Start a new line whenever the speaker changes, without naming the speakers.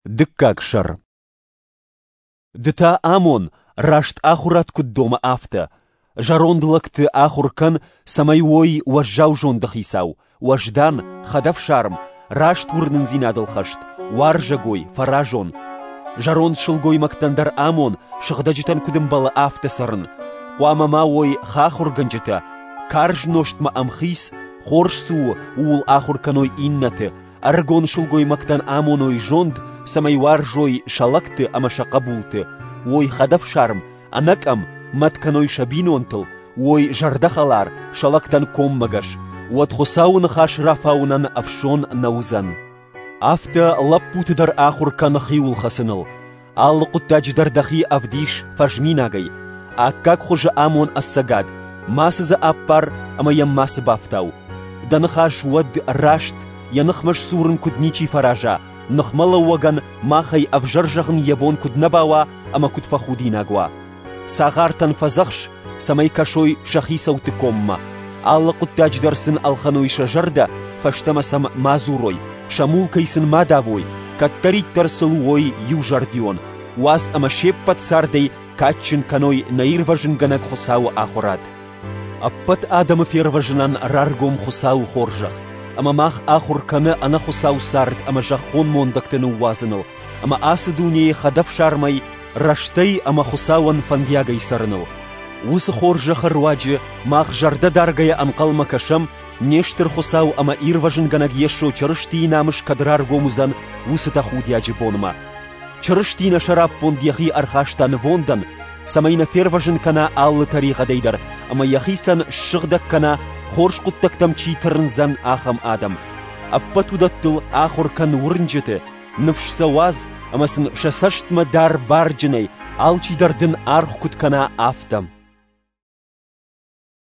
Дыккаг сӕр. Ды та амон, раст ахуырад куыд домы, афтӕ. Зӕронд лӕгты ахуыр кӕн, цӕмӕй уой уӕззау зонды хицау, уӕздан, хӕдӕфсарм, раст уырнындзинадыл хӕст, уарзӕгой, фӕразон. Зӕронд сылгоймӕгтӕн дӕр амон, сыгъдӕджытӕн куыд ӕмбӕлы, афтӕ цӕрын. Хъуамӕ ма уой хахуыргӕнджытӕ, карз нозтмӕ ӕмхиц, хорз цы у, ууыл ахуыр кӕной иннӕты, ӕрыгон сылгоймӕгтӕн амоной зонд, цӕмӕй уарзой сӕ лӕгты ӕмӕ сӕ хъӕбулты, уой хӕдӕфсарм, ӕнӕкъӕм, мӕт кӕной сӕ бинонтыл, уой зӕрдӕхӕлар, сӕ лӕгтӕн коммӕгӕс, уӕд Хуыцауы ныхас рафауынӕн ӕфсон нӕ уыдзӕн. Афтӕ лӕппуты дӕр ахуыр кӕн хиуыл хӕцыныл. Алы хъуыддаджы дӕр дӕхи ӕвдис фӕзминагӕй. Аккаг хуызы амон ӕцӕгад, мацы дзы ӕппар ӕмӕ йӕм мацы бафтау. Дӕ ныхас уӕд раст, йӕ ныхмӕ сдзурын куыд ничи фӕраза, ныхмӕлӕууӕгӕн махӕй ӕвзӕр зӕгъын йӕ бон куыд нӕ бауа ӕмӕ куыд фӕхудинаг уа. Цагъартӕн фӕдзӕхс, цӕмӕй кӕсой сӕ хицӕутты коммӕ. Алы хъуыддаджы дӕр сын ӕлхӕной сӕ зӕрдӕ, фӕстӕмӕ сӕм ма дзурой, сӕ мулкӕй сын ма давой, кӕддӕриддӕр сыл уой иузӕрдион, уадз ӕмӕ се ппӕт цардӕй кадджын кӕной нӕ Ирвӕзынгӕнӕг Хуыцауы ахуырад. Ӕппӕт адӕмы фервӕзынӕн раргом Хуыцауы хорзӕх, ӕмӕ мах ахуыр кӕны ӕнӕхуыцау цард ӕмӕ зӕххон мондӕгты ныууадзыныл, ӕмӕ ацы дунейы хӕдӕфсармӕй, рӕстӕй ӕмӕ Хуыцауӕн фӕндиагӕй цӕрыныл. Уыцы хорзӕхы руаджы мах зӕрдӕдаргӕйӕ ӕнхъӕлмӕ кӕсӕм, не стыр Хуыцау ӕмӕ Ирвӕзынгӕнӕг Йесо Чырыстийы намыс кӕд раргом уыдзӕн, уыцы тӕхудиаджы бонмӕ. Чырысти нӕ сӕраппонд йӕхи ӕрхаста нывондӕн, цӕмӕй нӕ фервӕзын кӕна алы тӕригъӕдӕй дӕр ӕмӕ йӕхицӕн ссыгъдӕг кӕна, хорз хъуыддӕгтӕм чи тырндзӕн, ахӕм адӕм. Ӕппӕт уыдӕттыл ахуыр кӕн уырнджыты, ныфс сӕ уадз ӕмӕ сын сӕ цӕстмӕ дӕр барджынӕй, алчидӕр дын аргъ куыд кӕна, афтӕ.